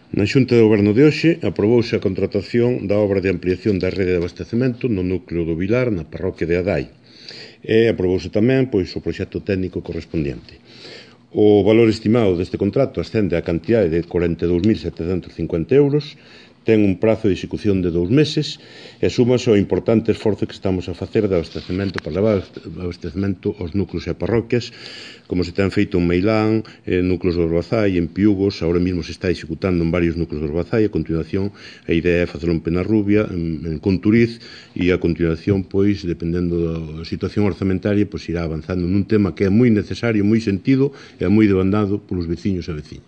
Na Xunta de Goberno de hoxe aprobouse a contratación da obra de ampliación da rede de abastecemento no núcleo do Vilar, na parroquia de Adai. E aprobouse tamén o proxecto técnico correspondiente. O valor estimado deste contrato ascende á cantidade de 42.750 euros, ten un prazo de execución de 2 meses e súmase ao importante esforzo que estamos a facer de abastecemento para levar abastecemento aos núcleos e parroquias, como se ten feito en Meilán, en núcleos de Orbazai, en Piugos, agora mesmo se está executando en varios núcleos de Orbazai, a continuación a idea é facelo en Penarrubia, en Conturiz, e a continuación, pois, dependendo da situación orzamentaria, pois irá avanzando nun tema que é moi necesario, moi sentido e moi demandado polos veciños e veciñas.